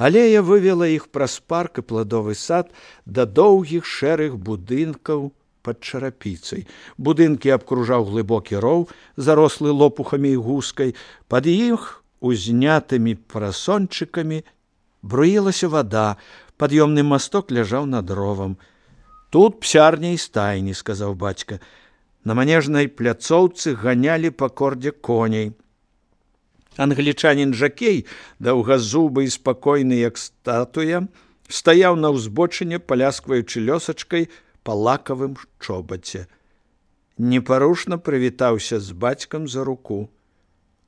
Алея вывела іх праз парк і пладовы сад да доўгіх шэрых будынкаў пад чарапіцай. Будынкі абкружаў глыбокі роў, зарослы лопухамі і гускай. Пад іх узнятымі парасончыкамі бруілася вада, пад'ёмны масток ляжаў над ровам. «Тут псярня і стайні», – сказаў бацька. На манежнай пляцоўцы ганялі па кордзе коней. Англічанін-жакей, даўгазубы і спакойны, як статуя, стаяў на ўзбочыне, паляскваючы лёсачкай па лакавым чобаце. Непарушна прывітаўся з бацькам за руку.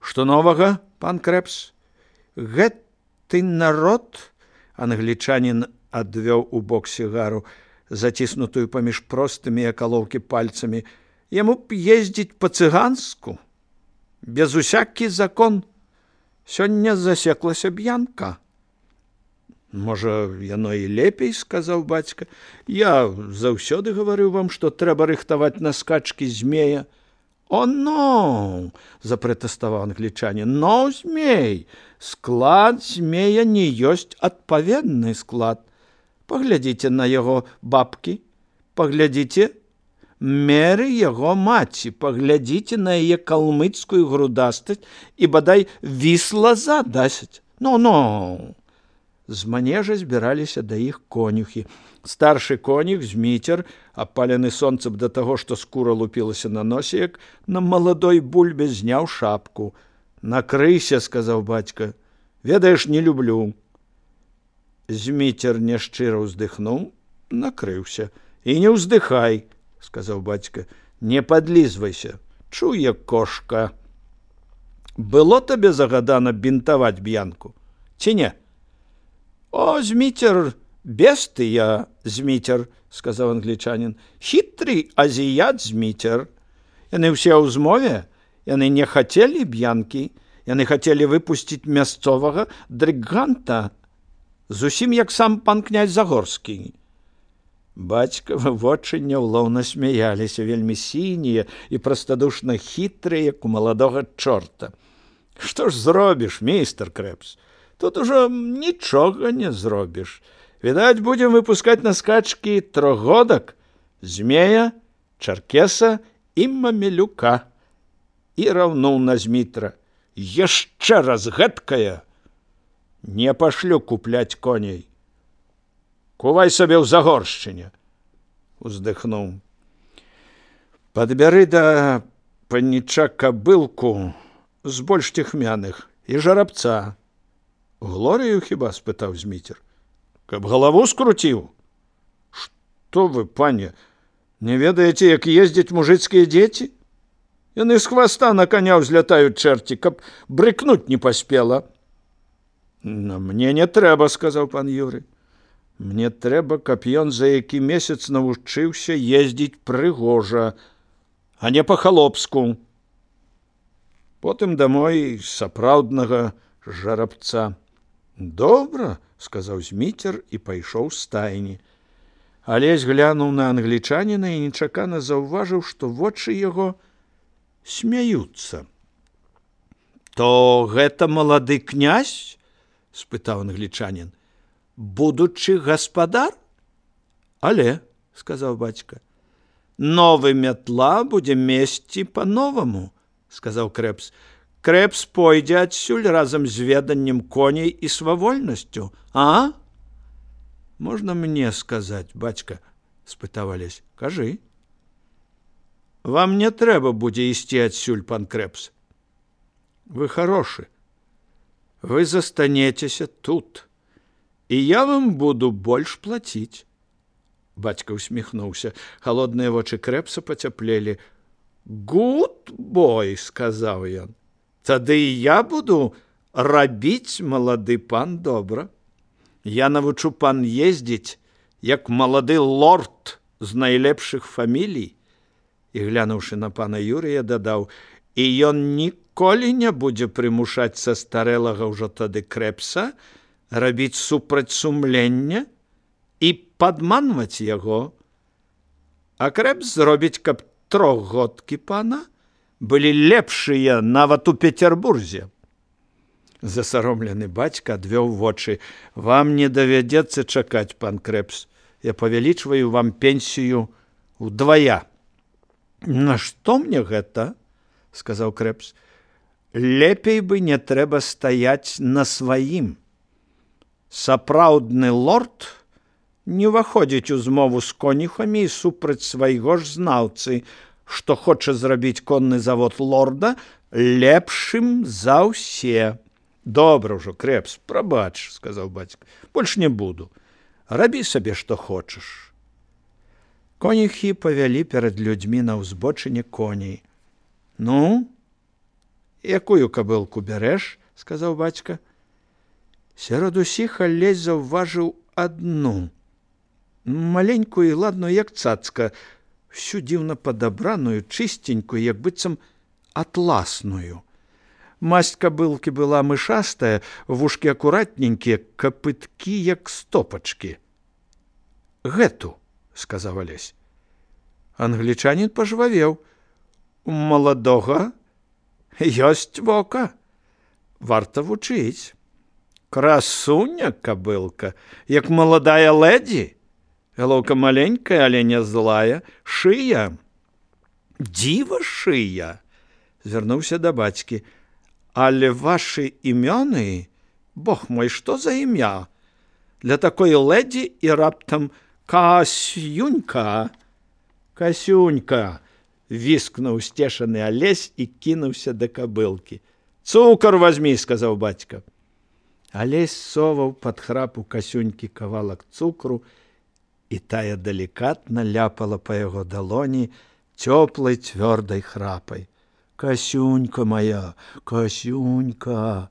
«Што новага, пан Крэпс?» «Гэты народ», – англічанін адвёў у бок сігару, заціснутую паміж простымі акалоўкі пальцамі, яму б ездзіць па-цыганску, без усякі закон. Сёння засеклася б'янка». «Можа, яно і лепей», – сказаў бацька. «Я заўсёды гаварыў вам, што трэба рыхтаваць на скачкі змея». «О, но!» – запратэставаў англічанін. «Но, змей! Склад змея не ёсць адпаведны склад. Паглядзіце на яго бабкі, паглядзіце меры яго маці, паглядзіце на яе калмыцкую грудастасць і, бадай, вісла задасць. Ну-ну!» З манежа збіраліся да іх конюхі. Старшы конюх, Зміцер, апалены сонцам да таго, што скура лупілася на носе, як на маладой бульбе, зняў шапку. «Накрыйся», – сказаў бацька. «Ведаеш, не люблю». Зміцер няшчыра ўздыхнуў, накрыўся. «І не ўздыхай», – сказаў бацька. «Не падлізвайся, чуе кошка. Было табе загадана бінтаваць б'янку, ці не?» «О, Зміцер, без ты я, Зміцер», – сказаў англічанін. «Хітры азіят Зміцер. Яны ўсе ў змове, яны не хацелі б'янкі, яны хацелі выпусціць мясцовага дрыганта, зусім як сам пан князь Загорскі». Бацькавы вочы няўлоўна смяяліся, вельмі сінія і прастадушна хітрыя, як у маладога чорта. «Што ж зробіш, мейстер Крэпс? Тут ужо нічога не зробіш. Відаць, будзем выпускаць на скачкі трохгодак, змея, чаркеса і мамелюка». І раўнуў на Змітра. «Яшчэ раз гэткая! Не пашлю купляць коней. Кувай сабе ў Загоршчыне», – уздыхнуў. «Падбяры да паніча кабылку з больш цехмяных і жарабца». «Глорію хіба?» – спытаў Зміцер. «Каб галаву скруціў?» «Што вы, пане, не ведаеце, як ездзяць мужыцкія дзеці? Яны з хваста на коня ўзлятаюць чэрці, каб брыкнуць не паспела». «Мне не трэба», – сказаў пан Юрый. «Мне трэба, каб ён за які месяц навучыўся ездзіць прыгожа, а не па-халопску. Потым дамой сапраўднага жарабца». «Добра», – сказаў Зміцер і пайшоў з стайні. Алесь глянуў на англічаніна і нечакана заўважыў, што вочы яго смяюцца. «То гэта малады князь?» – спытаў англічанін. «Будучы гаспадар?» «Але», – сказаў бацька. «Новы мятла будзе месці па-новаму», – сказаў Крэпс. «Крэпс пойдзе адсюль разам з веданнем коней і свавольнасцю, а?» «Можна мне сказаць, бацька?» – спытаў Алесь. «Кажы». «Вам не трэба будзе ісці адсюль, пан Крэпс. Вы хорошы. Вы застанецеся тут, і я вам буду больш плаціць». Бацька усміхнуўся. Халодныя вочы Крэпса пацяплелі. «Гуд бой», – сказаў ён. «Тады і я буду рабіць, малады пан, добра. Я навучу пан ездзіць, як малады лорд з найлепшых фамілій». І, глянуўшы на пана Юрыя, дадаў: «І ён ніколі не будзе прымушаць састарэлага ўжо тады Крэпса рабіць супраць сумлення і падманваць яго. А Крэпс зробіць, каб трохгодкі пана былі лепшыя нават у Петербурзе. Засаромлены бацька адвёў вочы. Вам не давядзецца чакаць, пан Крэпс. Я павялічваю вам пенсію удвая. Нашто мне гэта? Сказаў Крэпс. Лепей бы не трэба стаяць на сваім. Сапраўдны лорд не ўваходзіць у змову з конюхамі і супраць свайго ж знаўцы, што хоча зрабіць конны завод лорда лепшым за ўсе. Добра ўжо, Крэпс, прабач, сказаў бацька. Больш не буду. Рабі сабе, што хочаш. Конюхі павялі перад людзьмі на ўзбочыне коней. Ну, якую кабылку бярэш? Сказаў бацька. Сярод усіх Алесь заўважыў адну, маленькую і ладную, як цацка, всю дзіўна падабраную, чыстенькую, як быццам атласную. Масць кабылкі была мышастая, вушкі акуратненькія, капыткі, як стопачкі. Гэту, сказаў Алесь. Англічанін пажвавеў. У маладога ёсць вока. Варта вучыць. Красуня кабылка, як маладая лэдзі. Галоўка маленькая, але не злая. Шыя. Дзіва шыя. Звярнуўся да бацькі. Але вашы імёны, бог мой, што за імя? Для такой лэдзі і раптам Касюнька. Касюнька, віскнуў сцешаны Алесь і кінуўся да кабылкі. Цукар вазьмі, сказаў бацька. Алесь соваў пад храпу Касюнькі кавалак цукру, і тая далікатна ляпала па яго далоні цёплай цвёрдай храпай. Касюнька моя, Касюнька.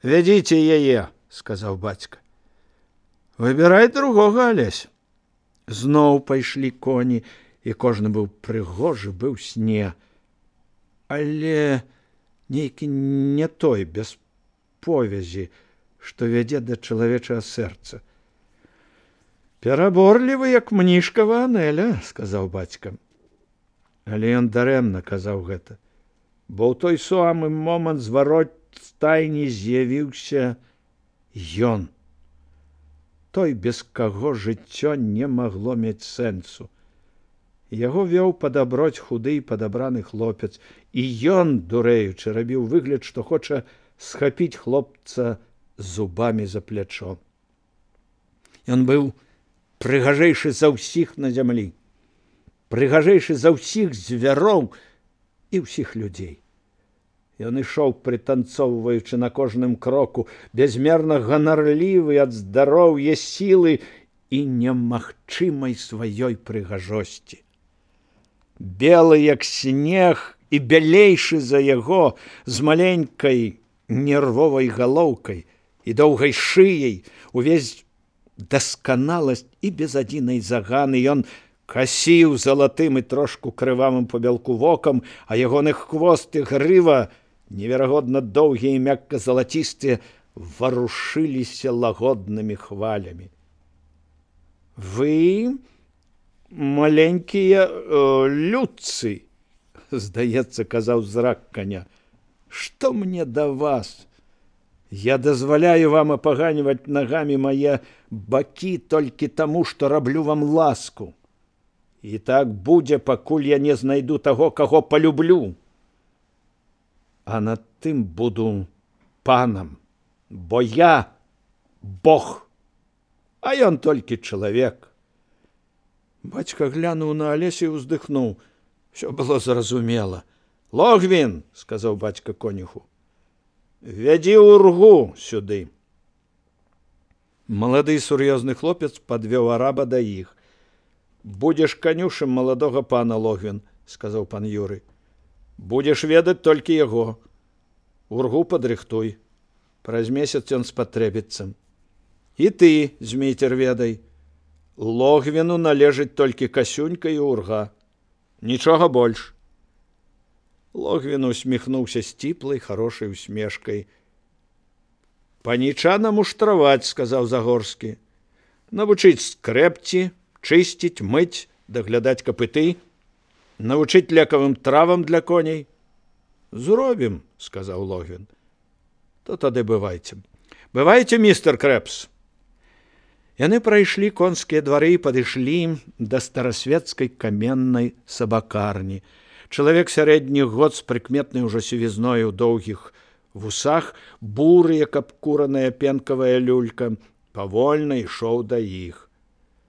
Вядзіце яе, сказаў бацька. Выбірай другога, Алесь. Зноў пайшлі коні, і кожны быў прыгожы, быў сне. Але нейкі не той, без повязі, што вядзе да чалавечага сэрца. Пераборлівы, як мнішкава Анэля, сказаў бацька. Але ён дарэмна казаў гэта, бо ў той самы момант з варот стайні з'явіўся ён. Той, без каго жыццё не магло мець сэнсу. Яго вёў падаброць худы і падабраны хлопец, і ён, дурэючы, рабіў выгляд, што хоча схапіць хлопца зубамі за плячо. Ён быў прыгажэйшы за ўсіх на зямлі, прыгажэйшы за ўсіх звяроў і ўсіх людзей. Ён ішоў, прытанцоўваючы на кожным кроку, бязмерна ганарлівы ад здароўя, сілы і немагчымай сваёй прыгажосці. Белы, як снег, і бялейшы за яго, з маленькай нервовай галоўкай і доўгай шыяй, увесь дасканаласць і без адзінай заганы. Ён касіў залатым і трошку крывавым пабялку вокам, а ягоны хвост і грыва, неверагодна доўгія і мякка залацістыя, варушыліся лагоднымі хвалямі. Вы маленькія людцы, здаецца, казаў зрак каня. Што мне да вас? Я дазваляю вам апаганьваць нагамі мае бакі толькі таму, што раблю вам ласку. І так будзе, пакуль я не знайду таго, каго палюблю. А над тым буду панам, бо я Бог, а ён толькі чалавек. Бацька глянуў на Алеся і ўздыхнуў. Всё было зразумела. Логвін, сказаў бацька конюху, вядзі ўргу сюды. Малады сур'ёзны хлопец падвёў араба да іх. Будзеш канюшым маладога пана, Логвін, сказаў пан Юрый. Будзеш ведаць толькі яго. Ургу падрыхтуй. Праз месяц ён спатрэбіцца. І ты, Змейцер, ведай. Логвіну належыць толькі Касюнька і урга. Нічога больш. Логвін усміхнуўся сціплай, харошай усмешкай. Панічана муштраваць, сказаў Загорскі. Навучыць скрэпці, чысціць, мыць, даглядаць капыты, навучыць лекавым травам для коней. Зробім, сказаў Логвін. То тады бывайце. Бывайце, містер Крэпс. Яны прайшлі конскія двары і падышлі да старасветскай каменнай сабакарні. Чалавек сярэдніх год з прыкметнай ужо сівізной у доўгіх вусах, буры, як абкураная пенкавая люлька, павольна ішоў да іх.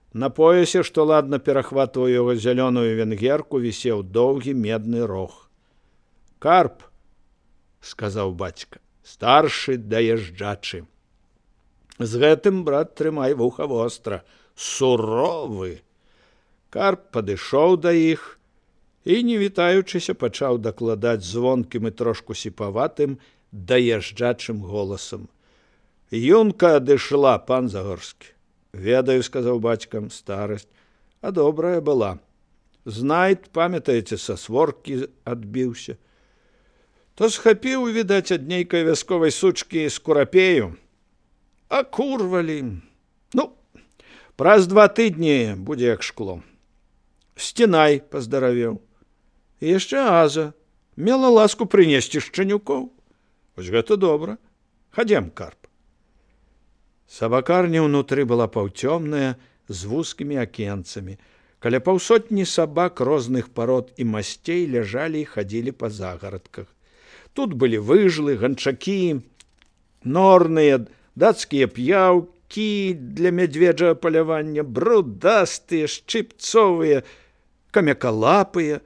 На поясе, што ладна перахватваў яго зялёную венгерку, вісеў доўгі медны рог. «Карп», – сказаў бацька, – «старшы даязджачы. З гэтым, брат, трымай вуха востра, суровы». Карп падышоў да іх і, не вітаючыся, пачаў дакладаць звонкім і трошку сіпаватым даязджачым голасам. «Юнка адышла, пан Загорскі». «Ведаю», – сказаў бацькам, – «старасць, а добрая была. Знайд, памятаеце, са своркі адбіўся. То схапіў, відаць, ад нейкай вясковай сучкі скурапею. Акурвалі. Ну, праз 2 тыдні будзе як шкло. Сцінай паздаравеў. І яшчэ Аза мела ласку прынесці шчанюкоў. Вось гэта добра. Хадзем, Карп». Сабакарня ўнутры была паўцёмная, з вузкімі акенцамі. Каля паўсотні сабак розных парод і масцей ляжалі і хадзілі па загарадках. Тут былі выжлы, ганчакі, норныя, дацкія п'яўкі для мядзведжага палявання, брудастыя, шчыпцовыя, камякалапыя,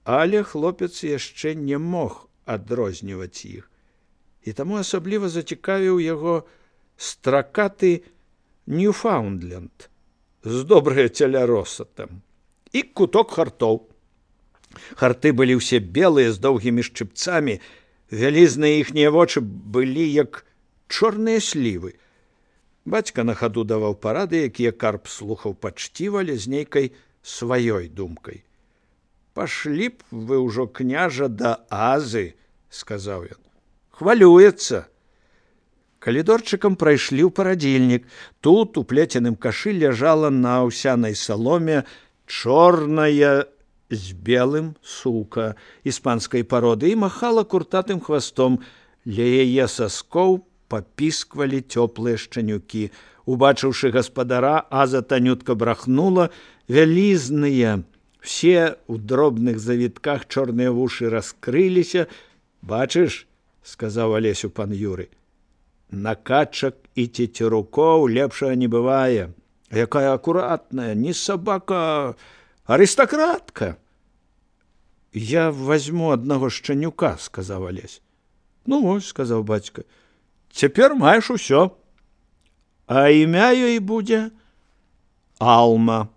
але хлопец яшчэ не мог адрозніваць іх. І таму асабліва зацікавіў яго стракаты Ньюфаундленд з добрая цяляросатам і куток хартоў. Харты былі ўсе белыя з доўгімі шчыпцамі, вялізныя іхнія вочы былі як чорныя слівы. Бацька на хаду даваў парады, якія Карп слухаў пачціва, але з нейкай сваёй думкай. «Пашлі б вы ўжо, княжа, да Азы», – сказаў ён. «Хвалюецца». Калідорчыкам прайшлі ў парадзільнік. Тут у плеценым кашы ляжала на аўсянай саломе чорная з белым сука іспанскай пароды і махала куртатым хвастом. Ля яе саскоў папісквалі цёплыя шчанюкі. Убачыўшы гаспадара, Аза танютка брахнула. Вялізныя, все ў дробных завітках чорныя вушы раскрыліся. «Бачыш», – сказаў Алесю пан Юры, – «на качак і цецерукоў лепшага не бывае. Якая акуратная, не сабака, арыстакратка». «Я возьму аднаго шчанюка», – сказаў Алесь. «Ну вось», – сказаў бацька, – «цяпер маеш усё. А імя ёй будзе Алма».